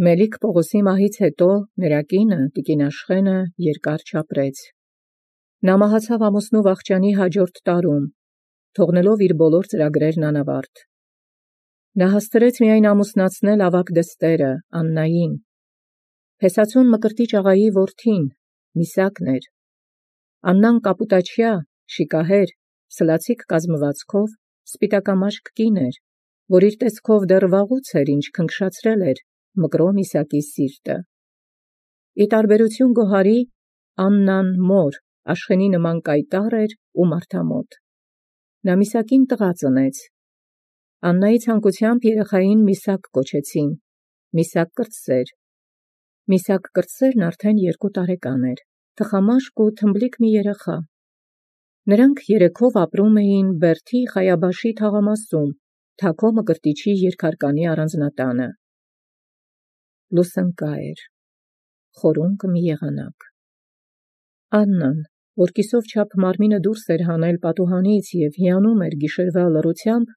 Մելիք Պողոսի մահից հետո նրա կինը տիկին Աշխենը երկար չապրեց։ Նա մահացավ ամուսնու վախճանի հաջորդ տարում, թողնելով իր բոլոր ծրագրերն անավարտ։ Նա հասցրեց միայն ամուսնացնել ավագ դստերը Աննային, Փեսացուն Մկրտիչ աղայի որդին, Միսակն էր։ Աննան կապուտաչյա, շիկահեր, սլացիկ կազմվածքով, սպիտակամաշկ կին էր, որ իր տեսքով դեռ վաղուց էր, ինչ քնքշացրել էր Մկրո Միսակի սիրտը։ Ի տարբերություն Գոհարի, Աննան մոր Աշխենի նման կայտառ էր ու մարդամոտ։ Նա Միսակին տղա ծնեց։ Աննայի ցանկությամբ երեխային Միսակ կոչեցին, Միսակ կրտսեր։ Միսակ կրտսերն արդեն 2 տարեկան էր, թխամաշկ ու թմբլիկ մի երեխա։ Նրանք երեքով ապրում էին Բերդի Խայաբաշի թաղամասում, Թաքո Մկրտիչի երկհարկանի առանձնատանը։ Լուսնկա էր, խորունկը մի եղանակ։ Աննան, որ կիսով չափ մարմինը դուրս էր հանել պատուհանից և հիանում էր գիշերվա լռությամբ,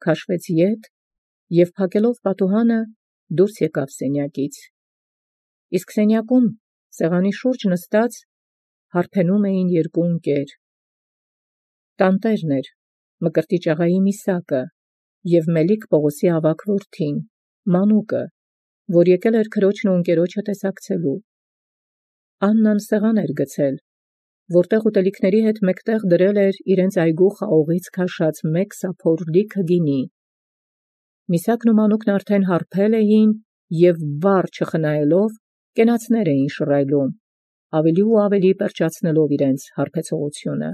քաշվեց ետ և փակելով պատուհանը դուրս եկավ սենյակից։ Իսկ սենյակում, սեղանի շուրջ նստած, հարբենում էին 2 ընկեր։ Տանտերն էր, Մկրտիչ աղայի Միսակը և Մելիք Պողոսի ավագ որդին, Մանուկը, որ եկել էր քրոջն ու ընկերոջը տեսակցելու։ Աննան սեղան էր գցել, որտեղ ուտելիքների հետ մեկտեղ դրել էր իրենց այգու խաղողից քաշած 1 սափոր լիքը գինի։ Միսակն ու Մանուկն արդեն հարբել էին և վառ չխնայելով կենացներ էին շռայլում, ավելի ու ավելի պերճացնելով իրենց հարբեցողությունը։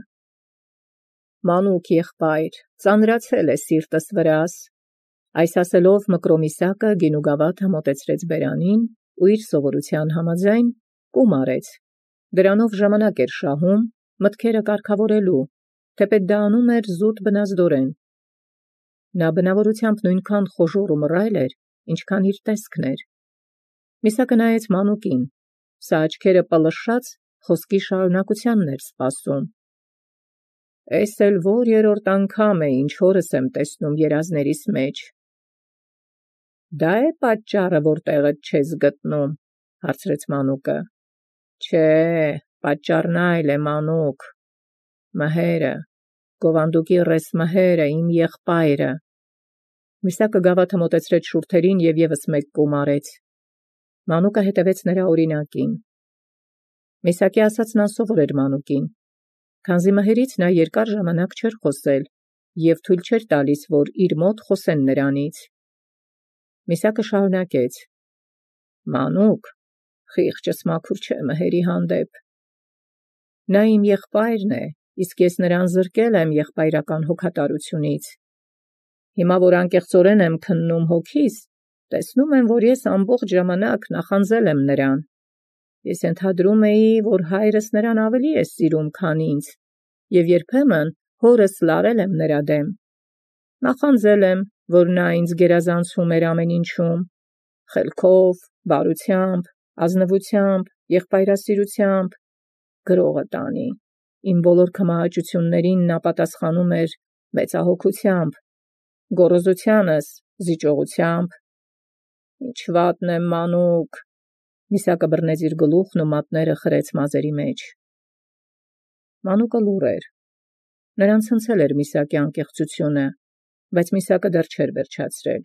Մանուկ եղբայր, ծանրացել է սիրտս վրաս։ Այս ասելով Մկրո Միսակը գինու գավաթը մոտեցրեց բերանին ու իր սովորության համաձայն կում արեց։ Դրանով ժամանակ էր շահում, մտքերը կարգավորելու, թեպետ դա անում էր զուտ բնազդորեն։ Նա բնավորությամբ նույնքան խոժոռ ու մռայլ էր, ինչքան իր տեսքն էր։ Միսակը նայեց Մանուկին, սա աչքերը պլշած խոսքի շարունակությանն էր սպասում։ Էս էլ որ 3-րդ անգամ է, ինչ հորս եմ տեսնում երազներիս մեջ։ Դա է պատճառը, որ տեղդ չես գտնում, հարցրեց Մանուկը։ Չէ, պատճառն այլ է, Մանուկ։ Մհերը, Գովանդուկի ռես Մհերը, իմ եղբայրը։ Միսակը գավաթը մոտեցրեց շուրթերին և ևս 1 կում արեց։ Մանուկը հետևեց նրա օրինակին։ Միսակի ասածն անսովոր էր Մանուկին, քանզի մհերից նա երկար ժամանակ չէր խոսել և թույլ չէր տալիս, որ իր մոտ խոսեն նրանից։ Միսակը շարունակեց. Մանուկ, խիղճս մաքուր չէ մհերի հանդեպ։ Նա իմ եղբայրն է, իսկ ես նրան զրկել եմ եղբայրական հոգատարությունից։ Հիմա, որ անկեղծորեն եմ քննում հոգիս, տեսնում եմ, որ ես ամբողջ ժամանակ նախանձել եմ նրան։ Ես ենթադրում էի, որ հայրս նրան ավելի է սիրում, քան ինձ, և երբեմն հորս լարել եմ նրա դեմ։ Նախանձել եմ, որ նա ինձ գերազանցում էր ամեն ինչում, խելքով, բարությամբ, ազնվությամբ, եղբայրասիրությամբ, գրողը տանի, իմ բոլոր քմահաճություններին նա պատասխանում էր մեծահոգությամբ, գոռոզությանս զիջողությամբ։ Ինչ վատն եմ, Մանուկ։ Միսակը բռնեց իր գլուխն ու մատները խրեց մազերի մեջ։ Մանուկը լուռ էր։ Նրան ցնցել էր Միսակի անկեղծությունը, բայց Միսակը դեռ չէր վերջացրել։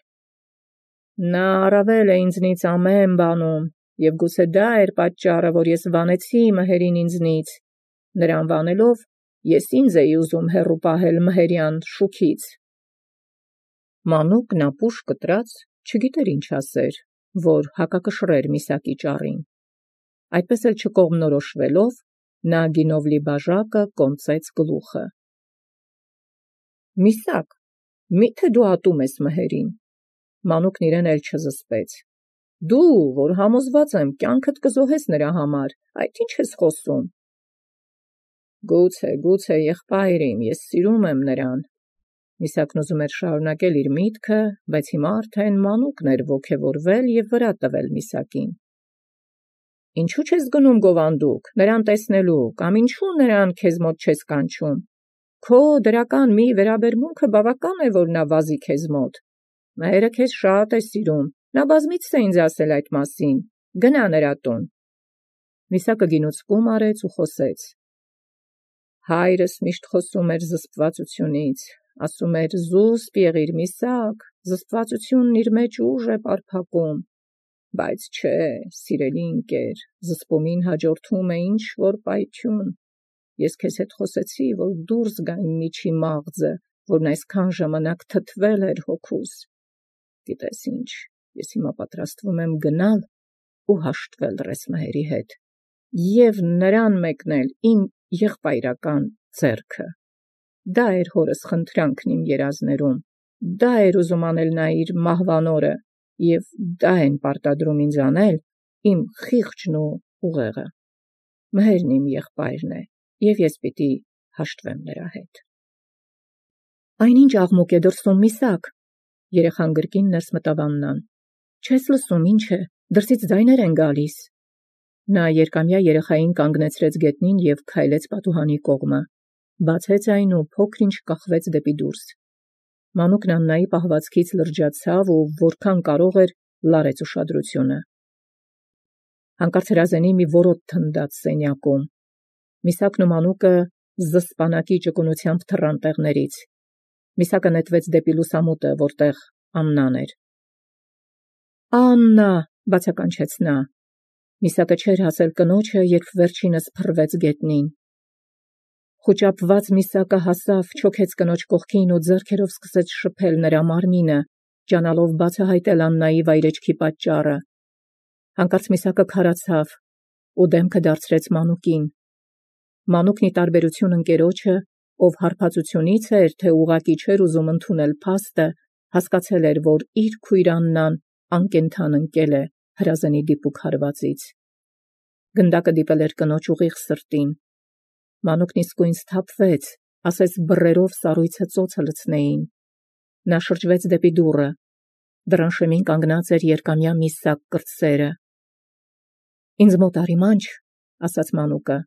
Նա առավել է ինձնից ամեն բանում, և գուցե դա էր պատճառը, որ ես վանեցի մհերին ինձնից։ Նրան վանելով, ես ինձ էի ուզում հեռու պահել մհերյան շուքից։ Մանուկն ապուշ կտրած չգիտեր ինչ ասեր, որ հակակշռեր Միսակի ճառին։ Այդպես էլ չկողմնորոշվելով, նա գինով լի բաժակը կոնծեց գլուխը։ Միսակ, մի՞թե դու ատում ես մհերին։ Մանուկն իրեն էլ չզսպեց։ Դու, որ համոզված եմ, կյանքդ կզոհես նրա համար, այդ ինչ ես խոսում։ Գուցե, եղբայր իմ, ես սիրում եմ նրան։ Միսակն ուզում էր շարունակել իր միտքը, բայց հիմա արդեն Մանուկն էր ոգևորվել և վրա տվել Միսակին։ Ինչու չես գնում Գովանդուկ, նրան տեսնելու, կամ ինչու նրան քեզ մոտ չես կանչում։ Քո դրական մի վերաբերմունքը բավական է, որ նա վազի քեզ մոտ։ Մհերը քեզ շատ է սիրում, Նա բազմիցս է ինձ ասել այդ մասին, գնա նրա տուն։ Միսակը գինուցկում արեց ու խոսեց. Հայրս միշտ խոսում էր զսպվածությունից, ասում էր զուսպ եղիր Միսակ, զսպվածությունն իր մեջ ուժ է պարփակում, բայց չէ, սիրելի ընկեր, զսպումին հաջորդում է ինչ որ պայթյուն։ Ես քեզ հետ խոսեցի, որ դուրս գա իմ միջի մաղձը, որն այսքան ժամանակ թթվել էր հոգուս։ Գիտես ինչ, ես հիմա պատրաստվում եմ գնալ ու հաշտվել Ռեսմահերի հետ և նրան մեկնել իմ եղբայրական ձեռքը։ Դա էր հորս խնդրանքն իմ երազներում, դա էր ուզում անել նա իր մահվան օրը, և դա են պարտադրում ինձ անել իմ խիղճն ու ուղեղը։ Մհերն իմ եղբայրն է, և ես պիտի հաշտվեմ նրա հետ։ Այնինչ աղմուկ է դրսում, Միսակ, երեխան գրկին ներս մտավ Աննան։ Չես լսում, ինչ է, դրսից ձայներ են գալիս։ Նա երկամյա երեխային կանգնեցրեց գետնին և քայլեց պատուհանի կողմը, բացեց այն ու փոքր-ինչ կախվեց դեպի դուրս։ Մանուկն Աննայի պահվածքից լրջացավ ու որքան կարող էր լարեց ուշադրությունը։ Հանկարծ հրազենի մի որոտ թնդաց սենյակում։ Միսակն ու Մանուկը զսպանակի ճկունությամբ թռան տեղներից։ Միսակը նետվեց դեպի լուսամուտը, որտեղ Աննան էր։ Աննա, բացականչեց նա։ Միսակը չէր հասել կնոջը, երբ վերջինս փռվեց գետնին։ Խուճապված Միսակը հասավ, չոքեց կնոջ կողքին ու ձեռքերով սկսեց շփել նրա մարմինը, ջանալով բացահայտել Աննայի վայրեջքի պատճառը։ Հանկարծ Միսակը քարացավ ու դեմքը դարձրեց Մանուկին։ Մանուկն ի տարբերություն ընկերոջը, ով հարբածությունից էր, թե ուղղակի չէր ուզում ընդունել փաստը, հասկացել էր, որ իր քույր Աննան անկենդան ընկել է հրազենի դիպուկ հարվածից։ Գնդակը դիպել էր կնոջ ուղիղ սրտին։ Մանուկն իսկույն սթափվեց, ասես բռերով սառույցը ծոցը լցնեին։ Նա շրջվեց դեպի դուռը։ Դռան շեմին կանգնած էր երկամյա Միսակ կրտսերը։ Ինձ մոտ արի մանչ, ասաց Մանուկը,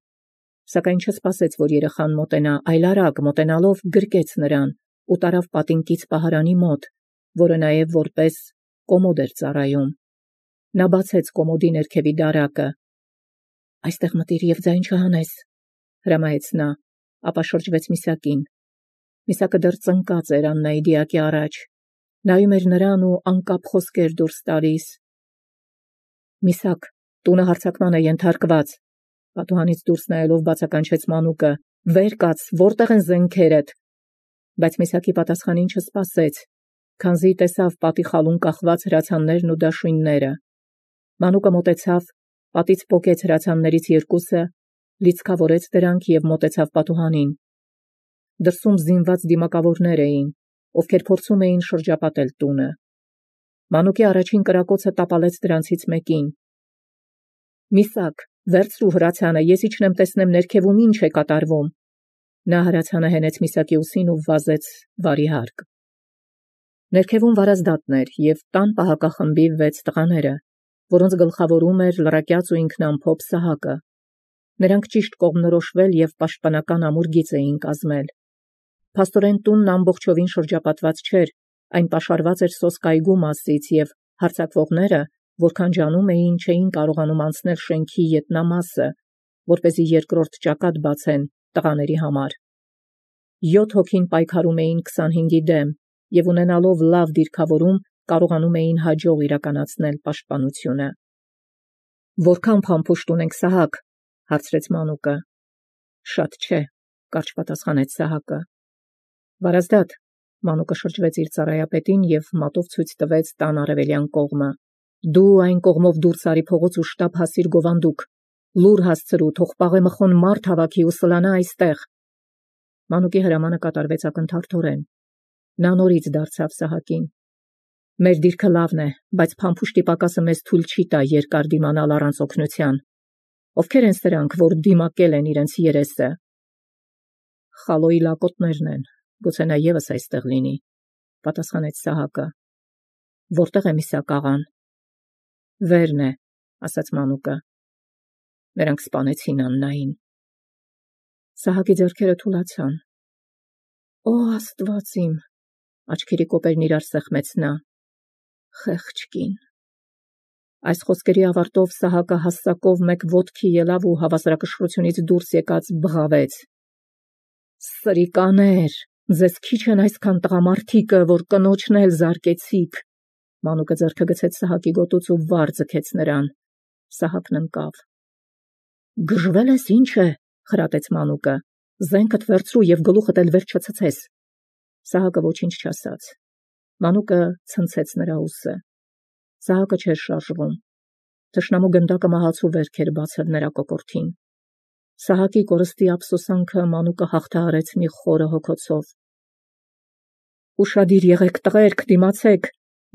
սակայն չսպասեց, որ երեխան մոտենա, այլ արագ մոտենալով գրկեց նրան ու տարավ պատինկից պահարանի մոտ, որը նաև որպես կոմոդ էր ծառայում։ Նա բացեց կոմոդի ներքևի դարակը։ Այստեղ մտիր և ձայն չհանես, հրամայեց նա, ապա շրջվեց Միսակին։ Միսակը դեռ ծնկած էր Աննայի դիակի առաջ, նայում էր նրան ու անկապ խոսքեր դուրս տալիս։ Միսակ, տունը հարձակման է ենթարկված, պատուհանից դուրս նայելով բացականչեց Մանուկը, վեր կաց, որտեղ են զենքերդ։ Բայց Միսակի պատասխանին չսպասեց, քանզի տեսավ պատի խալուն կախված հրացաններն ու դաշույնները։ Մանուկը մոտեցավ, պատից պոկեց հրացաններից երկուսը, լիցքավորեց դրանք և մոտեցավ պատուհանին։ Դրսում զինված դիմակավորներ էին, ովքեր փորձում էին շրջապատել տունը։ Մանուկի առաջին կրակոցը տապալեց դրանցից մեկին։ Միսակ, վերցրու հրացանը, ես իջնեմ տեսնեմ ներքևում ինչ է կատարվում։ Նա հրացանը հենեց Միսակի ուսին ու վազեց վարի հարկ։ Ներքևում վարազդատն էր և տան պահակախմբի 6 տղաները, որոնց գլխավորում էր լրակյաց ու ինքնամփոփ Սահակը։ Նրանք ճիշտ կողմնորոշվել և պաշտպանական ամուր գիծ էին կազմել։ Փաստորեն տունն ամբողջովին շրջապատված չէր, այն պաշարված էր սոսկայգու մասից և հարձակվողները, որքան ջանում էին, չէին կարողանում անցնել շենքի ետնամասը, որպեսզի երկրորդ ճակատ բացեն տղաների համար։ 7 հոգին պայքարում էին 25-ի դեմ և ունենալով լավ դիրքավորում կարողանում էին հաջող իրականացնել պաշտպանությունը։ Որքան փամփուշտ ունենք, Սահակ, հարցրեց Մանուկը։ Շատ չէ, կարճ պատասխանեց Սահակը։ Վարազդատ, Մանուկը շրջվեց իր ծառայապետին և մատով ցույց տվեց տան արևելյան կողմը։ Դու այն կողմով դուրս արի փողոց ու շտապ հասիր գովանդուկ։ Լուր հասցրու, թող պաղեմխոն մարդ հավաքի ու սլանա այստեղ։ Մանուկի հրամանը կատարվեց ակնթարթորեն։ Նա նորից դարձավ Սահակին։ Մեր դիրքը լավն է, բայց փամփուշտի պակասը մեզ թույլ չի տա երկար դիմանալ առանց օգնության։ Ովքեր են սրանք, որ դիմակել են իրենց երեսը։ Խալոյի լակոտներն են, գուցե նա ևս այստեղ լինի, պատասխանեց Սահակը։ Որտեղ է Միսակ աղան։ Վերն է, ասաց Մանուկը։ Նրանք սպանեցին Աննային։ Սահակի ձեռքերը թուլացան։ Օ Աստված իմ, աչքերի կոպերն իրար սեղմեց նա։ Խեղճ կին, Այս խոսքերի ավարտով Սահակը հասցակով մեկ ոտքի ելավ ու հավասարակշռությունից դուրս եկած բղավեց. «Սրիկաներ, ձեզ քիչ են այսքան տղամարդիկը, որ կնոջն էլ զարկեցիք»։ Մանուկը ձեռքը գցեց Սահակի գոտուց ու վար ձգեց նրան։ Սահակն ընկավ։ «Գժվել ես, ինչ է», խրատեց Մանուկը։ «Զենքդ վերցրու և գլուխդ էլ վեր չցցես»։ Սահակը ոչինչ չասաց։ Մանուկը ցնցեց նրա ուսը։ Սահակը չէր շարժվում։ Թշնամու գնդակը մահացու վերք էր բացել նրա կոկորդին։ Սահակի կորստի ափսոսանքը Մանուկը հաղթահարեց մի խորը հոգոցով։ «Ուշադիր եղեք, տղերք, դիմացեք»,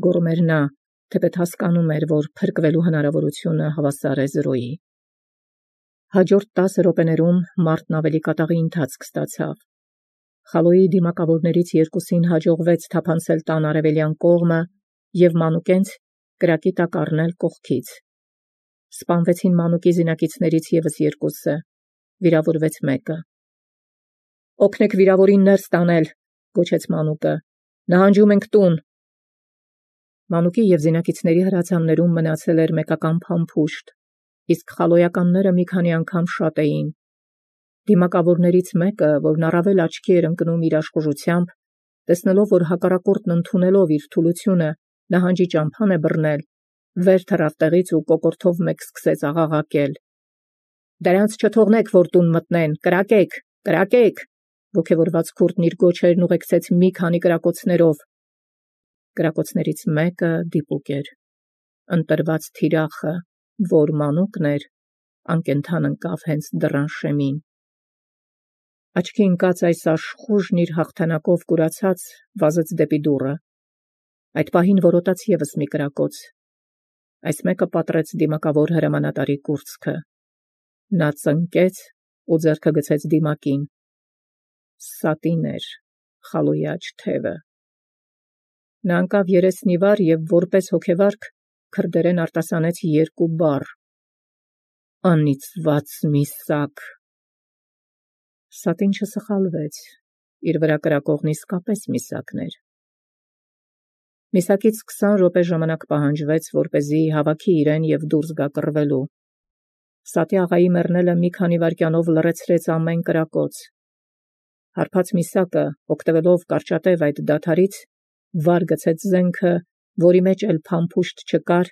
գոռում էր նա, թեպետ հասկանում էր, որ փրկվելու հնարավորությունը հավասար է 0-ի։ Հաջորդ 10 րոպեներում մարտն ավելի կատաղի ընթացք ստացավ։ Խալոյի դիմակավորներից երկուսին հաջողվեց թափանցել տան արևելյան կողմը և Մանուկենց կրակի տակ առնել կողքից։ Սպանվեցին Մանուկի զինակիցներից ևս երկուսը, վիրավորվեց մեկը։ «Օգնեք վիրավորին ներս տանել», գոչեց Մանուկը։ «Նահանջում ենք տուն»։ Մանուկի և զինակիցների հրացաններում մնացել էր մեկական փամփուշտ, իսկ խալոյականները մի քանի անգամ շատ էին։ Դիմակավորներից մեկը, որն առավել աչքի էր ընկնում իր աշխուժությամբ, տեսնելով, որ հակառակորդն ընդունելով իր թուլությունը նահանջի ճամփան է բռնել, վեր թռավ տեղից ու կոկորդով մեկ սկսեց աղաղակել. «Դրանց չթողնեք, որ տուն մտնեն, կրակեք, կրակեք»։ Ոգևորված քուրդն իր գոչերն ուղեկցեց մի քանի կրակոցներով։ Կրակոցներից մեկը դիպուկ էր։ Ընտրված թիրախը, որ Մանուկն էր, անկենդան ընկավ հենց դռան շեմին։ Աչքի ընկած այս աշխուժն իր հաղթանակով կուրացած վազեց դեպի դուռը։ Այդ պահին որոտաց ևս մի կրակոց։ Այս մեկը պատռեց դիմակավոր հրամանատարի կուրծքը։ Նա ծնկեց ու ձեռքը գցեց դիմակին։ Սատին էր խալոյի աջ թևը։ Նա ընկավ երեսն ի վար և որպես հոգևարք քրդերեն արտասանեց երկու բառ. «Անիծված միսակ»։ Սատին չսխալվեց, իր վրա կրակողն իսկապես միսակն էր։ Միսակից 20 րոպե ժամանակ պահանջվեց, որպեսզի հավաքի իրեն և դուրս գա կռվելու։ Սատի աղայի մեռնելը մի քանի վայրկյանով լռեցրեց ամեն կրակոց։ Հարբած միսակը, օգտվելով կարճատև այդ դադարից, վար գցեց զենքը, որի մեջ էլ փամփուշտ չկար,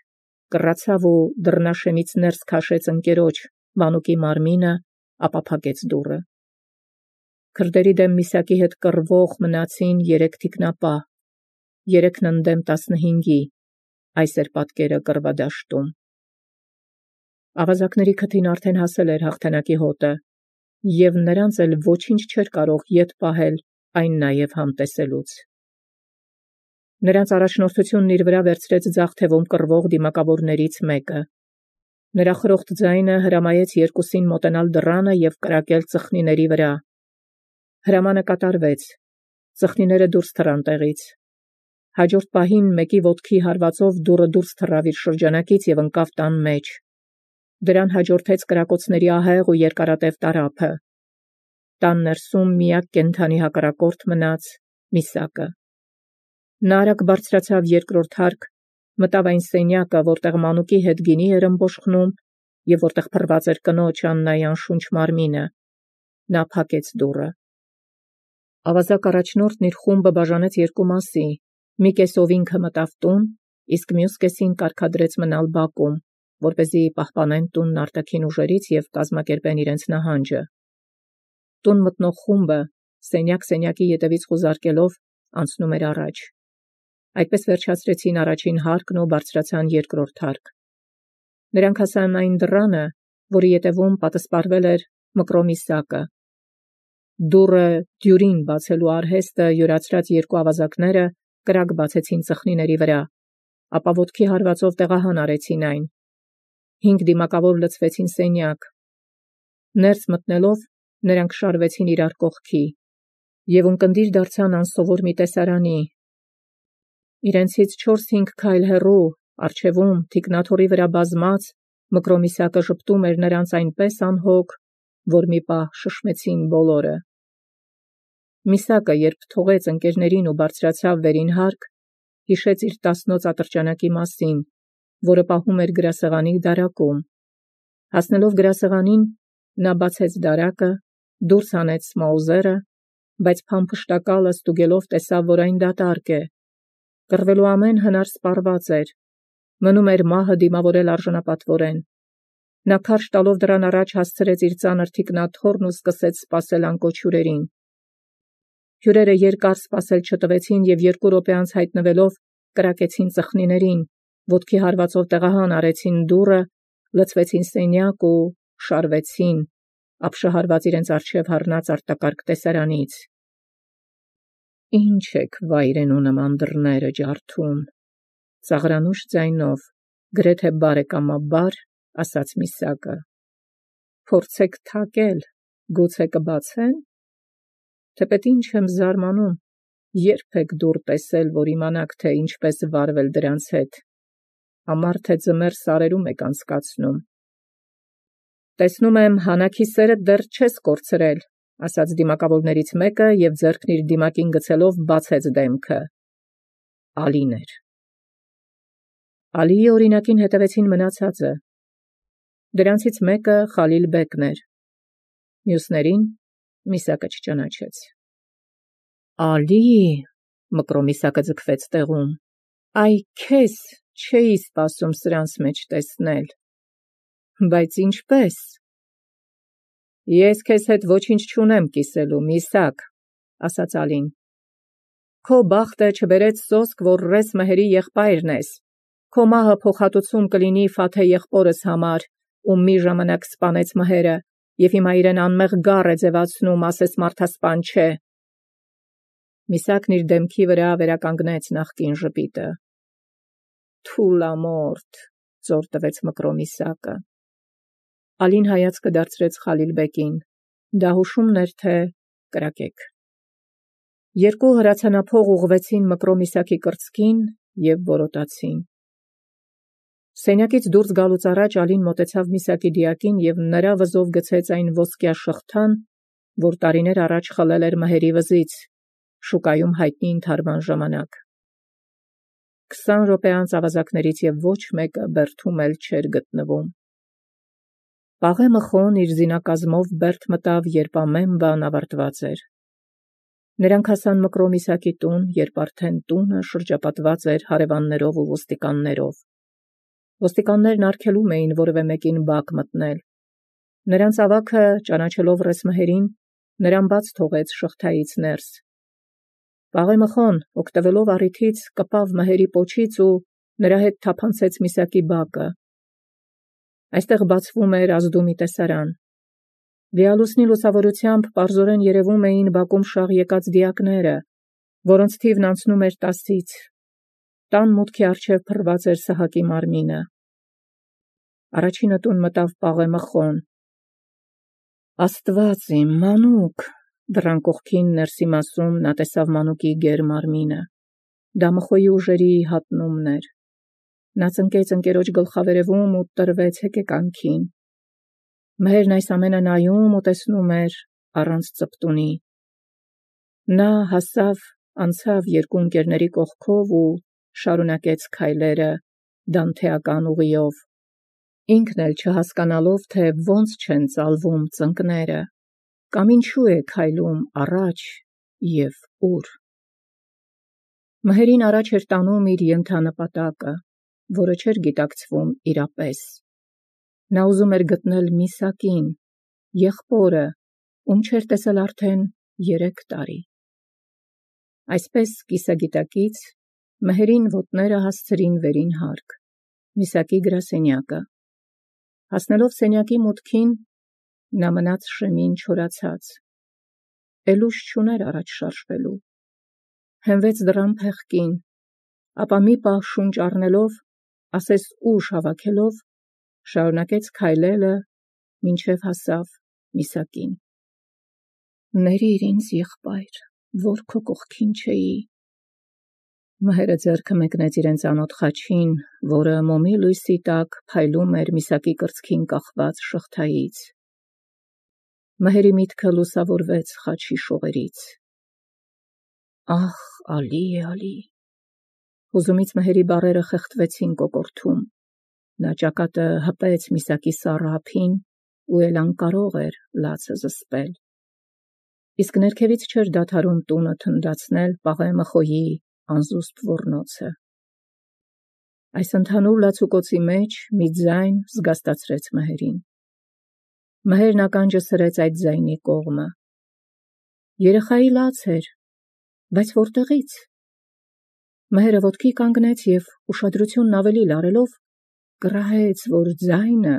կռացավ ու դռնաշեմից ներս քաշեց ընկերոջ Մանուկի մարմինը, ապա փակեց դուռը։ Քրդերի դեմ միսակի հետ կռվող մնացին 3 թիկնապահ, 3-ն ընդդեմ 15-ի, այս էր պատկերը կռվադաշտում։ Ավազակների քթին արդեն հասել էր հաղթանակի հոտը, և նրանց էլ ոչինչ չէր կարող ետ պահել այն նաև համտեսելուց։ Նրանց առաջնորդությունն իր վրա վերցրեց ձախ թևում կռվող դիմակավորներից մեկը։ Նրա խրոխտ ձայնը հրամայեց երկուսին մոտենալ դռանը և կրակել ծխնիների վրա։ Հրամանը կատարվեց։ Ծխնիները դուրս թռան տեղից։ Հաջորդ պահին մեկի ոտքի հարվածով դուռը դուրս թռավ իր շրջանակից և ընկավ տան մեջ։ Դրան հաջորդեց կրակոցների ահեղ ու երկարատև տարափը։ Տան ներսում միակ կենդանի հակառակորդ մնաց միսակը։ Նա արագ բարձրացավ երկրորդ հարկ, մտավ այն սենյակը, որտեղ Մանուկի հետ գինի էր ըմբոշխնում և որտեղ փռված էր կնոջ Աննայի անշունչ մարմինը։ Նա փակեց դուռը։ Ավազակ առաջնորդն իր խումբը բաժանեց երկու մասի։ Մի կեսով ինքը մտավ տուն, իսկ մյուս կեսին կարգադրեց մնալ բակում, որպեսզի պահպանեն տունն արտաքին ուժերից և կազմակերպեն իրենց նահանջը։ Տուն մտնող խումբը, սենյակ-սենյակի ետևից խուզարկելով, անցնում էր առաջ։ Այդպես վերջացրեցին առաջին հարկն ու բարձրացան երկրորդ հարկ։ Նրանք հասան այն դռանը, որի ետևում պատսպարվել էր Մկրոմիսակը։ Դուռը դյուրին բացելու արհեստը յուրացրած երկու ավազակները կրակ բացեցին ծխնիների վրա, ապա ոտքի հարվածով տեղահան արեցին այն։ 5 դիմակավոր լցվեցին սենյակ։ Ներս մտնելով, նրանք շարվեցին իրար կողքի և ունկնդիր դարձան անսովոր մի տեսարանի։ Իրենցից 4-5 քայլ հեռու, առջևում, թիկնաթոռի վրա բազմած, Մկրոմիսակը ժպտում էր նրանց այնպես անհոգ, որ մի պահ շշմեցին բոլորը։ Միսակը, երբ թողեց ընկերներին ու բարձրացավ վերին հարկ, հիշեց իր տասնոց ատրճանակի մասին որը պահում էր գրասեղանի դարակում։ Հասնելով գրասեղանին, նա բացեց դարակը, դուրս հանեց Մաուզերը, բայց փամփշտակալը ստուգելով տեսավ, որ այն դատարկ է։ Կռվելու ամեն հնար սպառված էր։ Մնում էր մահը դիմավորել արժանապատվորեն։ Նա քարշ տալով դրան առաջ հասցրեց իր ծանր թիկնաթոռն ու սկսեց սպասել անկոչ հյուրերին։ Հյուրերը երկար սպասել չտվեցին և 2 րոպե անց հայտնվելով կրակեցին ծխնիներին, ոտքի հարվածով տեղահան արեցին դուռը, լցվեցին սենյակ ու շարվեցին, ապշահարված իրենց առջև հառնած արտակարգ տեսարանից։ «Ինչ եք վայրենու նման դռները ջարդում», ծաղրանուշ ձայնով, գրեթե բարեկամաբար ասաց Միսակը։ «Փորձեք թակել, գուցե կբացեն։ Թեպետ ինչ եմ զարմանում, երբ եք դուռ տեսել, որ իմանաք, թե ինչպես վարվել դրանց հետ։ Ամառ թե ձմեռ սարերում եք անցկացնում»։ «Տեսնում եմ, հանակի սերդ դեռ չես կորցրել», ասաց դիմակավորներից մեկը և ձեռքն իր դիմակին գցելով բացեց դեմքը։ Ալին էր։ Ալիի օրինակին հետևեցին մնացածը։ Դրանցից մեկը Խալիլ բեկն էր։ Մյուսներին Միսակը չճանաչեց։ «Ալի», Մկրոմիսակը ձգվեց տեղում, «այ քեզ չէի սպասում սրանց մեջ տեսնել»։ «Բայց ինչպես»։ «Ես քեզ հետ ոչինչ չունեմ կիսելու, Միսակ», ասաց Ալին։ «Քո բախտը չբերեց սոսկ, որ Ռես Մհերի եղբայրն ես։ Քո մահը փոխհատուցում կլինի Ֆաթե եղբորս համար, ում մի ժամանակ սպանեց Մհերը, և հիմա իրեն անմեղ գառ է ձևացնում, ասես մարդասպան չէ»։ Միսակն իր դեմքի վրա վերականգնեց նախկին ժպիտը։ «Թուլամորթ», ծոր տվեց Մկրոմիսակը։ Ալին հայացքը դարձրեց Խալիլ բեկին։ Դա հուշումն էր, թե կրակեք։ 2 հրացանափող ուղղվեցին Մկրոմիսակի կրծքին և որոտացին։ Սենյակից դուրս գալուց առաջ Ալին մոտեցավ Միսակի դիակին և նրա վզով գցեց այն ոսկյա շղթան, որ տարիներ առաջ խլել էր Մհերի վզից, շուկայում հայտնի ընդհարման ժամանակ։ 20 րոպե անց ավազակներից և ոչ մեկը բերդում էլ չէր գտնվում։ Պաղե Մխոն իր զինակազմով բերդ մտավ, երբ ամեն բան ավարտված էր։ Նրանք հասան Մկրոմիսակի տուն, երբ արդեն տունը շրջապատված էր հարևաններով ու ոստիկաններով։ Ոստիկաններն արգելում էին որևէ մեկին բակ մտնել։ Նրանց ավագը, ճանաչելով Ռես Մհերին, նրան բաց թողեց շղթայից ներս։ Պաղե Մխոն, օգտվելով առիթից, կպավ Մհերի պոչից ու նրա հետ թափանցեց Միսակի բակը։ Այստեղ բացվում էր ազդումի տեսարան։ Լիալուսնի լուսավորությամբ պարզորեն երևում էին բակում շաղ եկած դիակները, որոնց թիվն անցնում էր 10-ից։ Տան մուտքի առջև փռված էր Սահակի մարմինը։ Առաջինը տուն մտավ Պաղե Մխոն։ «Աստված իմ, Մանուկ», դռան կողքին ներսի մասում նա տեսավ Մանուկի գեր մարմինը։ Դա Մխոյի ուժերի հատնումն էր։ Նա ծնկեց ընկերոջ գլխավերևում ու տրվեց հեկեկանքին։ Մհերն այս ամենը նայում ու տեսնում էր առանց ծպտունի։ Նա հասավ, անցավ 2 ընկերների կողքով ու շարունակեց քայլերը դանթեական ուղիով, ինքն էլ չհասկանալով, թե ոնց չեն ծալվում ծնկները, կամ ինչու է քայլում առաջ և ուր։ Մհերին առաջ էր տանում իր ենթանպատակը, որը չէր գիտակցվում իրապես։ Նա ուզում էր գտնել Միսակին, եղբորը, ում չէր տեսել արդեն 3 տարի։ Այսպես կիսագիտակից Մհերին ոտները հասցրին վերին հարկ, Միսակի գրասենյակը։ Հասնելով սենյակի մուտքին, նա մնաց շեմին չորացած։ Էլ ուժ չուներ առաջ շարժվելու։ Հենվեց դռան փեղկին, ապա մի պահ շունչ առնելով, ասես ուժ հավաքելով, շարունակեց քայլելը, մինչև հասավ Միսակին։ «Ներիր ինձ, եղբայր, որ քո կողքին չէի»։ Մհերը ձեռքը մեկնեց իրեն ծանոթ խաչին, որը մոմի լույսի տակ փայլում էր Միսակի կրծքին կախված շղթայից։ Մհերի միտքը լուսավորվեց խաչի շողերից։ «Ախ, Ալի, Ալի»։ Հուզումից Մհերի բառերը խեղդվեցին կոկորդում։ Նա ճակատը հպեց միսակի սառը ափին ու էլ անկարող էր լացը զսպել։ Իսկ ներքևից չէր դադարում տունը թնդացնել Պաղեմըխոյի անզուսպ ոռնոցը։ Այս ընդհանուր լացուկոցի մեջ մի ձայն զգաստացրեց Մհերին։ Մհերն ականջը սրեց այդ ձայնի կողմը։ Երեխայի լաց էր, բայց որտեղից։ Մհերը ոտքի կանգնեց և ուշադրությունն ավելի լարելով կռահեց, որ ձայնը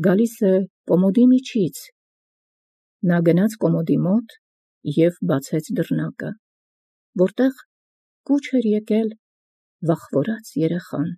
գալիս է կոմոդի միջից։ Նա գնաց կոմոդի մոտ և բացեց դռնակը, որտեղ կուչ էր եկել վախվորած երեխան։